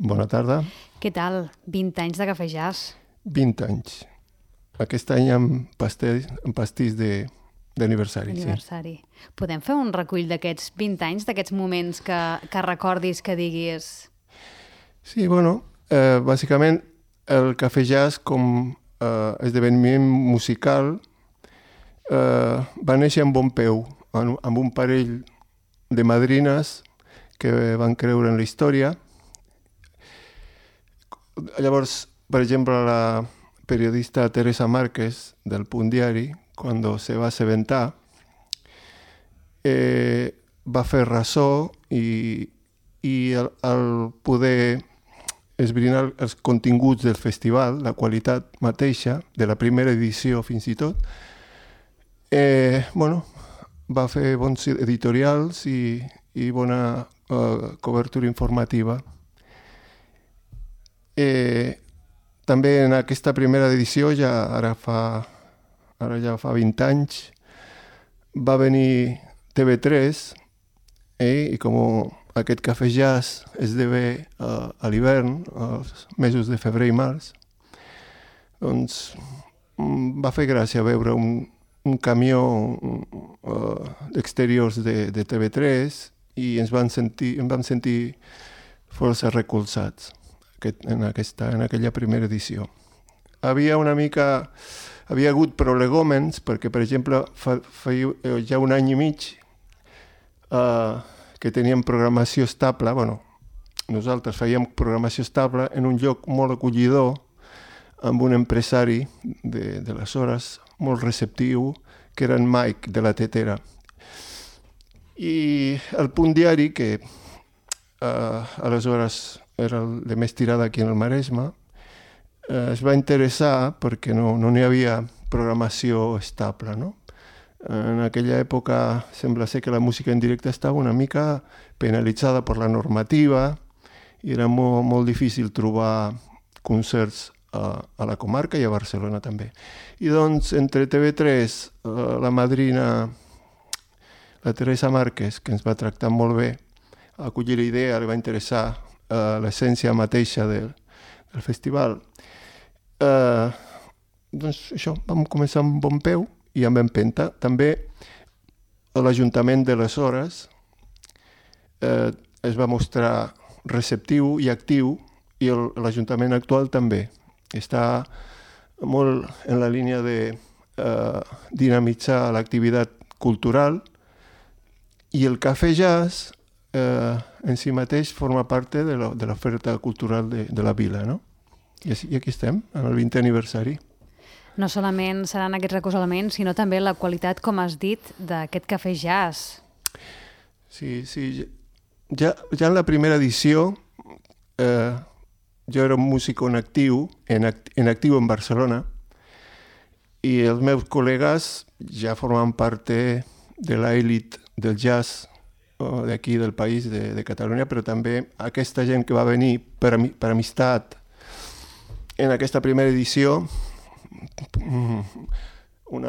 Bona tarda. Què tal? 20 anys de Cafè Jazz. 20 anys. Aquest any amb pastís d'aniversari. D'aniversari. Sí. Podem fer un recull d'aquests 20 anys, d'aquests moments que recordis, que diguis... Sí, bueno, bàsicament el Cafè Jazz com esdeveniment musical va néixer amb bon peu, amb un parell de madrines que van creure en la història. Llavors, per exemple, la periodista Teresa Márquez del Punt Diari, quan se va assabentar, va fer ressò i al poder esbrinar els continguts del festival, la qualitat mateixa, de la primera edició fins i tot, va fer bons editorials i bona cobertura informativa. També en aquesta primera edició, ara ja fa 20 anys, va venir TV3 i com aquest Cafè Jazz esdevé a l'hivern, als mesos de febrer i març, doncs va fer gràcia veure un camió d'exteriors de TV3 i ens vam sentir força recolzats en aquella primera edició. Havia hagut prolegòmens perquè, per exemple, feia ja un any i mig que teníem programació estable, nosaltres fèiem programació estable en un lloc molt acollidor, amb un empresari d'aleshores molt receptiu, que era en Mike de la Tetera. I el Punt Diari, que aleshores era el de més tirada aquí en el Maresme, es va interessar perquè no n'hi havia programació estable, no? En aquella època sembla ser que la música en directe estava una mica penalitzada per la normativa i era molt difícil trobar concerts a la comarca i a Barcelona també. I doncs entre TV3, la madrina, la Teresa Márquez, que ens va tractar molt bé, va acollir la idea, li va interessar l'essència mateixa del festival. Doncs això, vam començar amb bon peu i amb empenta. També l'Ajuntament d'aleshores es va mostrar receptiu i actiu i l'Ajuntament actual també. Està molt en la línia de dinamitzar l'activitat cultural i el Cafè Jazz en si mateix forma part de l'oferta cultural de la vila, no? I aquí estem, en el 20è aniversari. No solament seran aquests recolzaments, sinó també la qualitat, com has dit, d'aquest Cafè Jazz. Sí. Ja en la primera edició jo era un músic en actiu en Barcelona i els meus col·legues ja formaven part de l'elit del jazz d'aquí del país, de Catalunya, però també aquesta gent que va venir per amistat en aquesta primera edició, un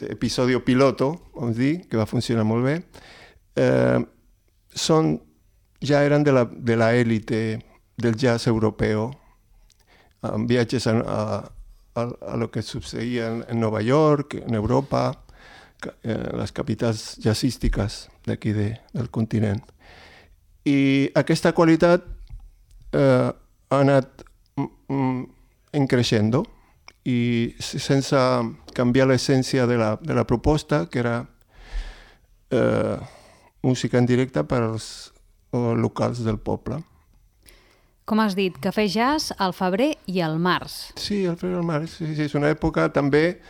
episodi piloto, vamos dir, que va funcionar molt bé, ja eren de l'elit del jazz europeu, amb viatges a lo que succeïa en Nova York, en Europa, les capitals jazzístiques d'aquí del continent. I aquesta qualitat ha anat creixent i sense canviar l'essència de la proposta, que era música en directe per als locals del poble. Com has dit, Cafè Jazz al febrer i al març. Sí, al febrer i al març. Sí, és una època també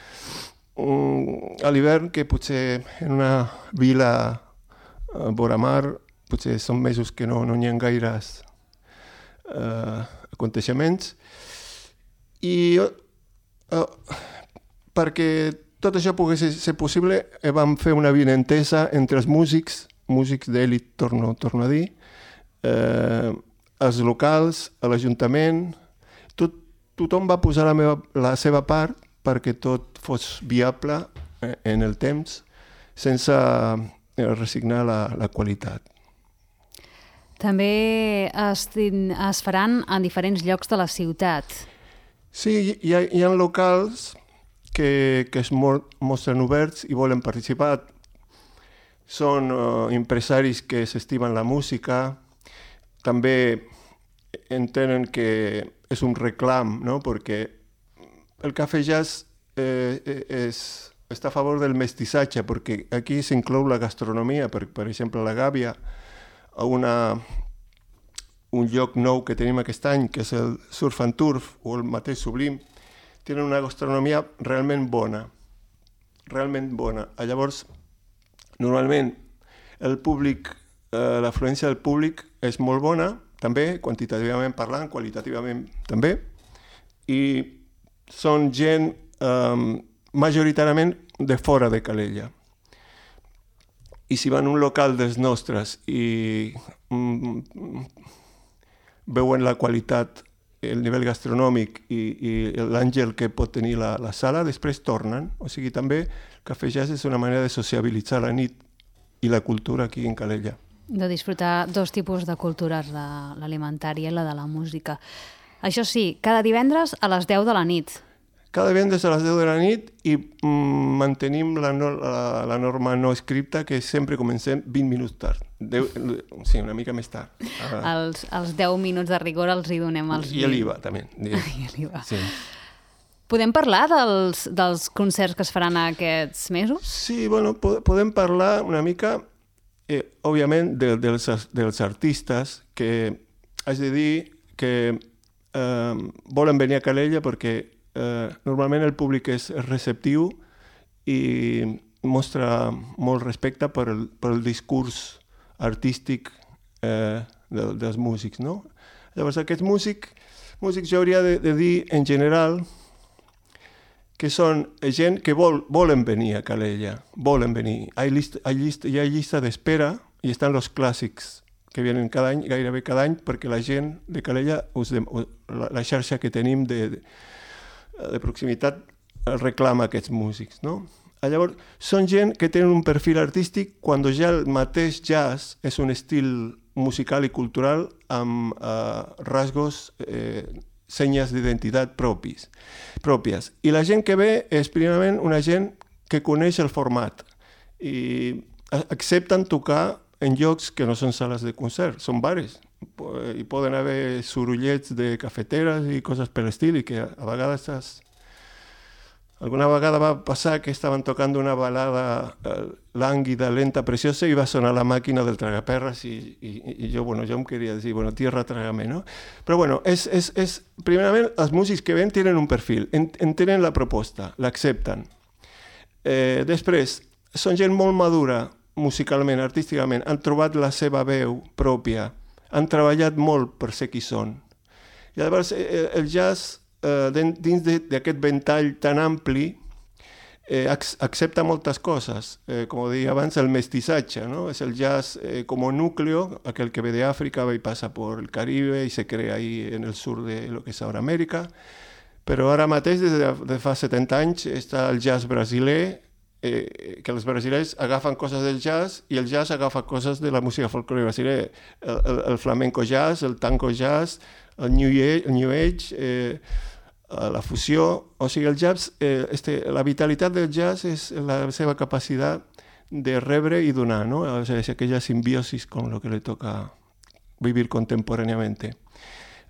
a l'hivern que potser en una vila vora mar potser són mesos que no n'hi ha gaires aconteixements i perquè tot això pogués ser possible vam fer una avinentesa entre els músics d'elit, torno a dir, els locals, l'Ajuntament, tothom va posar la seva part perquè tot fos viable en el temps sense resignar la qualitat. També es faran en diferents llocs de la ciutat. Sí, hi ha locals que es mostren oberts i volen participar. Són empresaris que s'estimen la música, també entenen que és un reclam, no? Perquè el Cafè Jazz està a favor del mestissatge, perquè aquí s'inclou la gastronomia, per exemple, a la Gàbia, un lloc nou que tenim aquest any, que és el Surf and Turf, o el mateix Sublim, tenen una gastronomia realment bona. Llavors, normalment, el públic, l'afluència del públic és molt bona, també, quantitativament parlant, qualitativament també, i són gent majoritàriament de fora de Calella. I si van a un local dels nostres i veuen la qualitat, el nivell gastronòmic i l'àngel que pot tenir la sala, després tornen. O sigui, també el Cafè Jazz és una manera de sociabilitzar la nit i la cultura aquí en Calella. De disfrutar dos tipus de cultures, l'alimentària i la de la música. Això sí, cada divendres a les 10 de la nit. Cada divendres a les 10 de la nit i mantenim la norma no escripta que sempre comencem 20 minuts tard. Sí, una mica més tard. Els 10 minuts de rigor els hi donem als... I l'IVA, també. I l'IVA. Sí. Podem parlar dels concerts que es faran aquests mesos? Sí, bueno, podem parlar una mica, òbviament, dels artistes que haig de dir que volen venir a Calella perquè normalment el públic és receptiu i mostra molt respecte per el discurs artístic dels músics, no? Llavors, aquests músics jo hauria de dir en general que són gent que volen venir a Calella, volen venir. Hi ha llista d'espera i estan els clàssics que vienen cada any, gairebé cada any, perquè la gent de Calella, la xarxa que tenim de proximitat reclama aquests músics, no? Llavors, són gent que tenen un perfil artístic quan ja el mateix jazz és un estil musical i cultural amb rasgos, senyes d'identitat pròpies. I la gent que ve és primerament una gent que coneix el format i accepten tocar en llocs que no són sales de concert, són bares. Hi poden haver sorollets de cafeteres i coses per l'estil i que a vegades alguna vegada va passar que estaven tocant una balada lànguida, lenta, preciosa i va sonar la màquina del tragaperres i jo em queria dir, tierra trágame, no? Però primerament els músics que ven tenen un perfil, entenen la proposta, l'accepten. Després, són gent molt madura musicalment, artísticament, han trobat la seva veu pròpia, han treballat molt per ser qui són. I llavors el jazz, dins d'aquest ventall tan ampli, accepta moltes cosas. Como deia abans, el mestissatge, ¿no? Es el jazz como núcleo, aquel que ve de África y pasa por el Caribe y se crea ahí en el sur de lo que és ahora Amèrica. Però ara mateix, des de fa 70 anys, està el jazz brasiler, que els brasilers agafen coses del jazz i el jazz agafa coses de la música folclore brasiler. El flamenco jazz, el tango jazz, el new age, la fusió. O sigui, el jazz, la vitalitat del jazz és la seva capacitat de rebre i donar, ¿no? O sea, es aquella simbiosis con lo que le toca vivir contemporáneamente.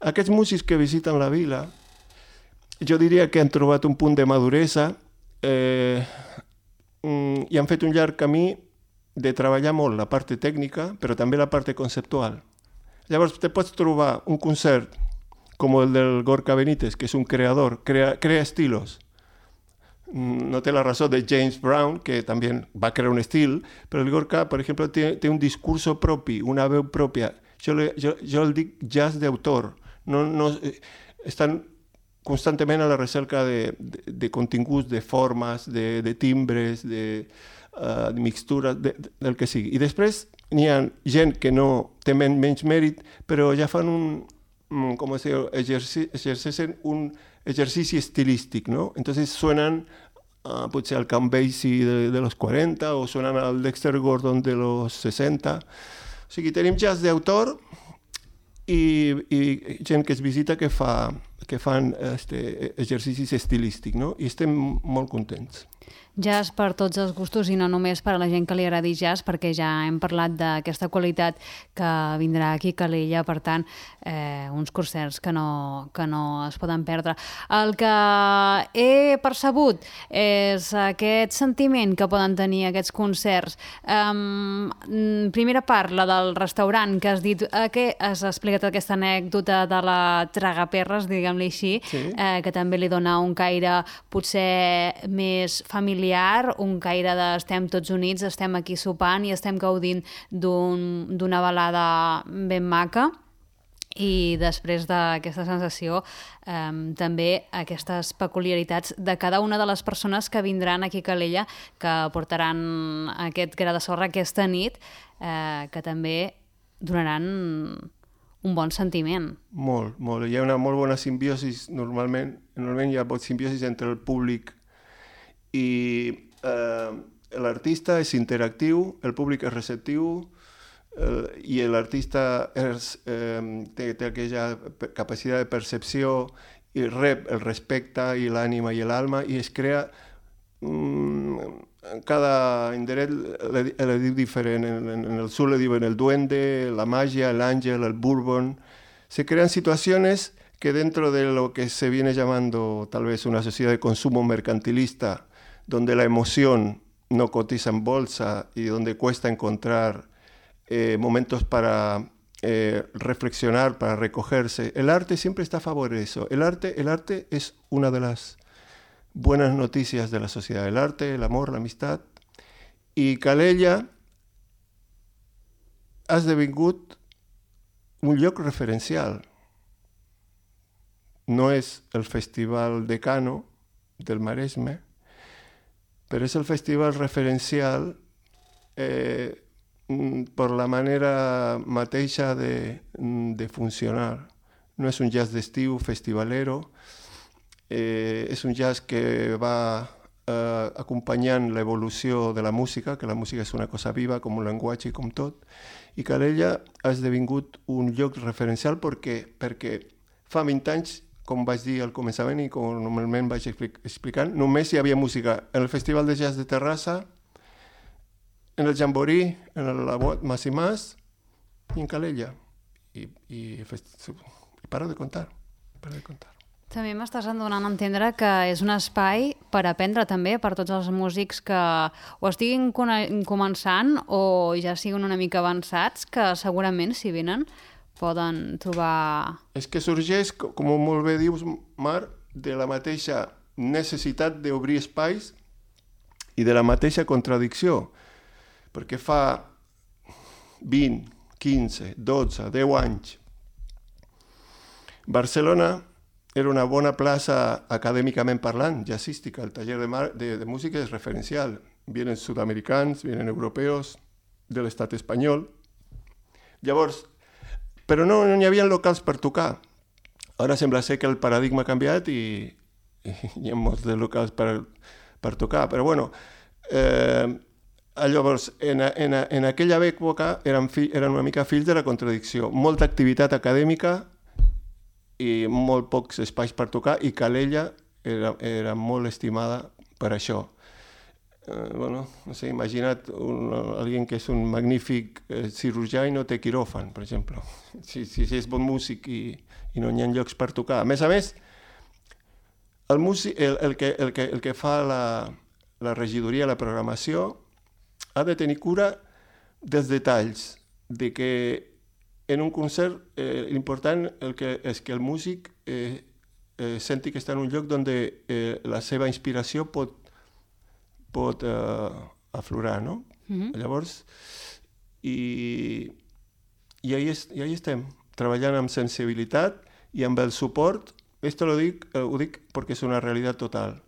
Aquests músics que visiten la vila, jo diria que han trobat un punt de maduresa i han fet un llarg camí de treballar molt la part tècnica, però també la part conceptual. Llavors, te pots trobar un concert com el del Gorka Benítez, que és un creador, crea estilos. No té la raó de James Brown, que també va crear un estil, però el Gorka, per exemple, té un discurso propi, una veu pròpia. Jo el dic jazz d'autor. Estan constantment a la recerca de continguts, de formes, de timbres, de mixtures, del que sigui. I després n'hi ha gent que no té menys mèrit, però ja fan exerceixen un exercici estilístic, ¿no? Entonces suenan potser al Count Basie de los 40 o suenan al Dexter Gordon de los 60. O sigui, tenim jazz d'autor i gent que es visita que fan exercicis estilístics, no? I estem molt contents. Jazz per tots els gustos i no només per a la gent que li agradi jazz, perquè ja hem parlat d'aquesta qualitat que vindrà aquí a Calella, per tant, uns concerts que no es poden perdre. El que he percebut és aquest sentiment que poden tenir aquests concerts. Primera part, la del restaurant, que has dit que has explicat aquesta anècdota de la tragaperres, diguem-li així, sí. Que també li dona un caire potser més familiar, un caire de estem tots units, estem aquí sopant i estem gaudint d'una balada ben maca. I després d'aquesta sensació també aquestes peculiaritats de cada una de les persones que vindran aquí a Calella, que portaran aquest gra de sorra aquesta nit, que també donaran un bon sentiment. Molt, molt. Hi ha una molt bona simbiosi, normalment hi ha simbiosi entre el públic i l'artista és interactiu, el públic és receptiu i l'artista té aquella capacitat de percepció i rep el respecte i l'ànima i l'alma i es crea en cada indret le diu diferent, en el sur le diuen el duende, la magia, el ángel, el bourbon. Se crean situaciones que dentro de lo que se viene llamando tal vez una sociedad de consumo mercantilista, donde la emoción no cotiza en bolsa y donde cuesta encontrar momentos para reflexionar, para recogerse. El arte siempre está a favor de eso. El arte es una de las buenas noticias de la sociedad. El arte, el amor, la amistad. I Calella ha esdevingut un lloc referencial. No és el Festival Decano del Maresme, pero es el festival referencial por la manera mateixa de funcionar. No és un jazz d'estiu festivalero, és un jazz que va acompanyant l'evolució de la música, que la música és una cosa viva, com un llenguatge i com tot, i Calella ha esdevingut un lloc referencial perquè fa 20 anys, com vaig dir al començament i com normalment vaig explicant, només hi havia música en el Festival de Jazz de Terrassa, en el Jamboree, en la Mas i Mas i en Calella. I para de contar. També m'estàs donant a entendre que és un espai per aprendre també per tots els músics que o estiguin començant o ja siguin una mica avançats, que segurament si venen poden trobar... És que sorgeix, com molt bé dius, Mar, de la mateixa necessitat d'obrir espais i de la mateixa contradicció, perquè fa 20, 15, 12, 10 anys Barcelona era una bona plaça acadèmicament parlant, jazzística. El taller de música és referencial. Vienen sud-americans, vienen europeos, de l'estat espanyol. Llavors, però no hi havia locals per tocar. Ara sembla ser que el paradigma ha canviat i hi ha molts de locals per tocar. Però bueno, llavors, en aquella època eren una mica fills de la contradicció. Molta activitat acadèmica i molt pocs espais per tocar, i Calella era molt estimada per això. Bueno, no sé, imagina't alguien que és un magnífic cirurgià i no té quiròfan, per exemple. Si és bon músic i no hi ha llocs per tocar. A més, el que fa la regidoria, la programació, ha de tenir cura dels detalls, de que en un concert l'important és que el músic senti que està en un lloc on la seva inspiració pot aflorar, no? Llavors, i ahí estem, treballant amb sensibilitat i amb el suport. Esto ho dic perquè és una realitat total.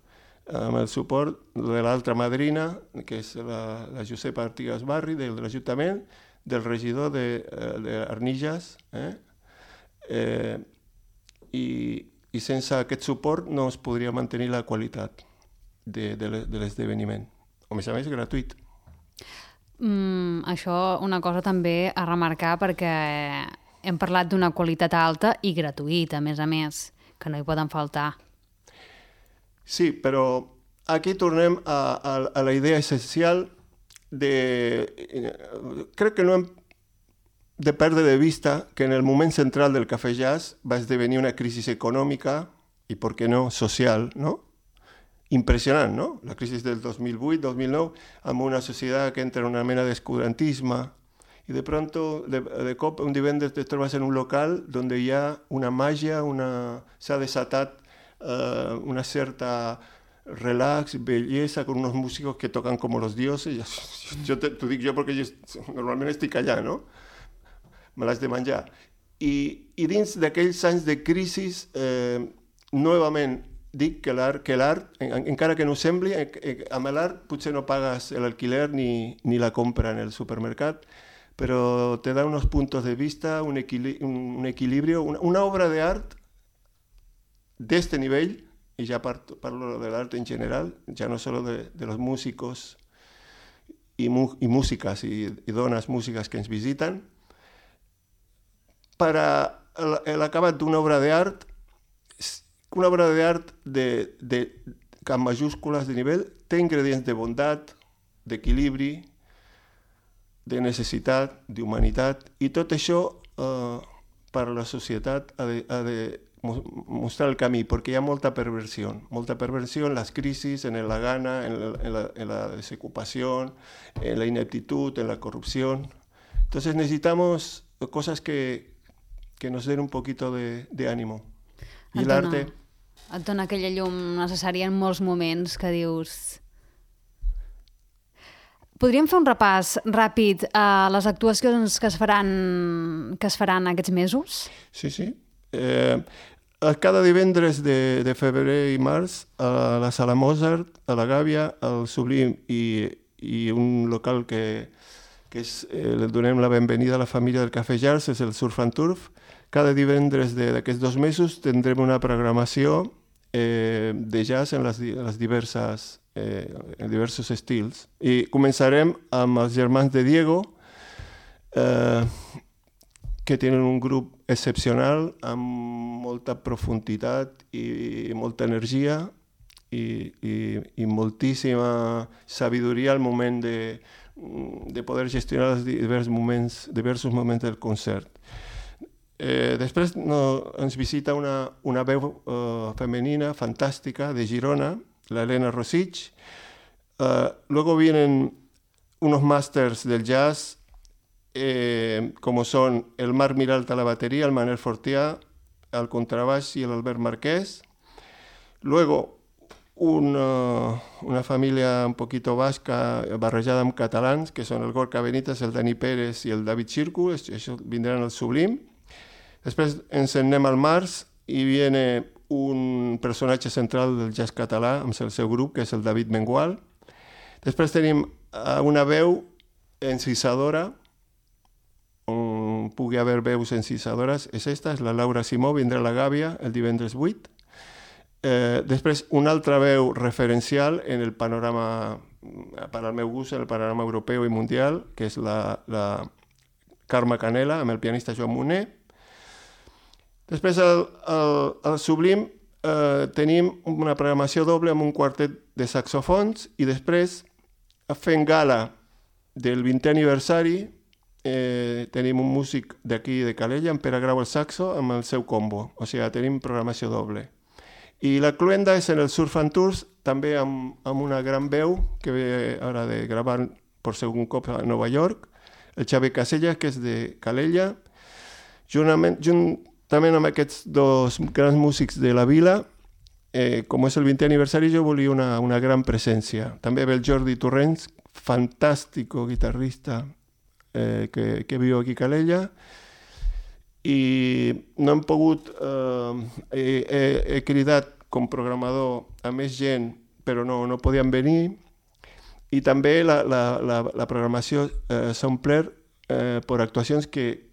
Amb el suport de l'altra madrina, que és la Josepa Artigas Barri, de l'Ajuntament, del regidor d'Arnillas, i sense aquest suport no es podria mantenir la qualitat de l'esdeveniment. A més, gratuït. Això una cosa també a remarcar, perquè hem parlat d'una qualitat alta i gratuïta, a més, que no hi poden faltar. Sí, però aquí tornem a la idea essencial crec que no hem de perdre de vista que en el moment central del Cafè Jazz va esdevenir una crisi econòmica i, per què no, social, no? Impressionant, no? La crisi del 2008-2009, amb una societat que entra en una mena d'escurantisme i de pronto, de cop, un divendres te trobes en un local on hi ha una màgia, s'ha desatat una certa relax, bellesa, con unos músicos que tocan como los dioses. T'ho dic jo perquè normalment estic allà, no? Me l'has de menjar. I dins d'aquells anys de crisi, novament dic que l'art, encara que no ho sembli, amb l'art potser no pagues l'alquiler ni la compra en el supermercat, però te da unos puntos de vista, un equilibrio, una obra de art d'este nivell, y ya parlo del arte en general, ya no solo de los músicos y músicas y donas músicas que ens visiten, para l'acabat d'una obra d'art, una obra d'art amb majúscules de nivell, té ingredients de bondat, d'equilibri, de necessitat, d'humanitat, i tot això per a la societat ha de mostrar el camí, perquè hi ha molta perversió en les crisis, en la gana, en la desocupación, en la ineptitud, en la corrupción. Entonces necesitamos cosas que nos den un poquito de ánimo. I l'arte... Et dona aquella llum necessària en molts moments que dius... Podríem fer un repàs ràpid a les actuacions que es faran aquests mesos? Sí. Cada divendres de febrer i març a la Sala Mozart, a la Gàbia, al Sublim i un local que li donem la benvenida a la família del Cafè Jazz, és el Surf and Turf. Cada divendres d'aquests 2 mesos tindrem una programació de jazz en diversos estils. I començarem amb els germans de Diego, que tenen un grup excepcional, amb molta profunditat i molta energia i moltíssima sabidoria al moment de poder gestionar els diversos moments del concert. Després ens visita una veu femenina fantàstica de Girona, la Elena Rosich. Luego vienen unos masters del jazz, como son el Marc Miralta a la batería, el Manel Fortià al contrabaix y el Albert Marquès. Luego una familia un poquito vasca barrejada amb catalans, que son el Gorka Benítez, el Dani Pérez y el David Xircu, això vindran al Sublim. Després ens en anem al març i viene un personatge central del jazz català amb el seu grup, que és el David Mengual. Després tenim una veu encisadora, on pugui haver veus encisadores, és la Laura Simó, vindrà a la Gàbia el divendres 8. Després una altra veu referencial en el panorama, per al meu gust, en el panorama europeu i mundial, que és la Carme Canela, amb el pianista Joan Moner. Després al Sublim tenim una programació doble amb un quartet de saxofons i després, fent gala del 20è aniversari, tenim un músic d'aquí de Calella, en Pere Grau al saxo, amb el seu combo. O sigui, tenim programació doble. I la cluenda és en el Surf and Tours, també amb una gran veu que ve ara de gravar per segon cop a Nova York, el Xavi Casellas, que és de Calella, juntament amb aquests 2 grans músics de la vila. Com és el 20è aniversari, jo volia una gran presència. També ve el Jordi Torrents, fantàstic guitarrista que viu aquí a Calella, i no hem pogut, he cridat com programador a més gent, però no podien venir, i també la programació s'ha omplert per actuacions que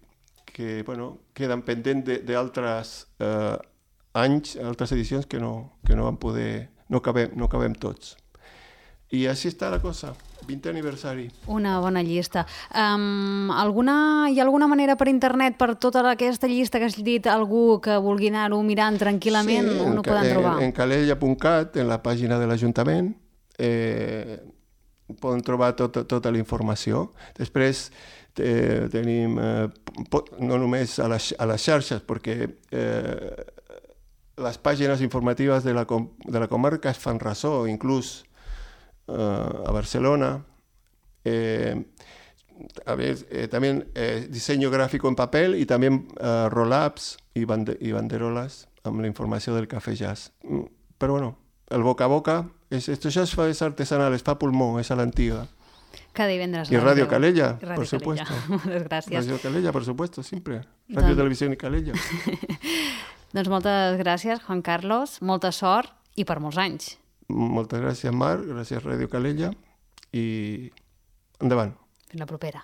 queden pendents d'altres anys, altres edicions que no van poder, no cabem tots. I així està la cosa, 20è aniversari. Una bona llista. Hi ha alguna manera per internet, per tota aquesta llista que has dit, algú que vulgui anar-ho mirant tranquil·lament, on ho poden trobar? En calella.cat, en la pàgina de l'Ajuntament, poden trobar tota la informació. Després tenim, no només a les xarxes, perquè les pàgines informatives de la comarca es fan ressò, inclús a Barcelona. También diseño gráfico en papel y también roll-ups y banderolas amb la informació del Cafè Jazz. Però bueno, el boca a boca, esto ya es artesanal, es pa pulmó, es a l'antiga. Cada divendres. Y Radio Calella, por supuesto. Moltes gràcies. Radio Calella, por supuesto, siempre. Radio Televisión y Calella. Doncs moltes gràcies, Juan Carlos, molta sort i per molts anys. Moltes gràcies, Mar, gràcies Radio Calella i endavant. Fins la propera.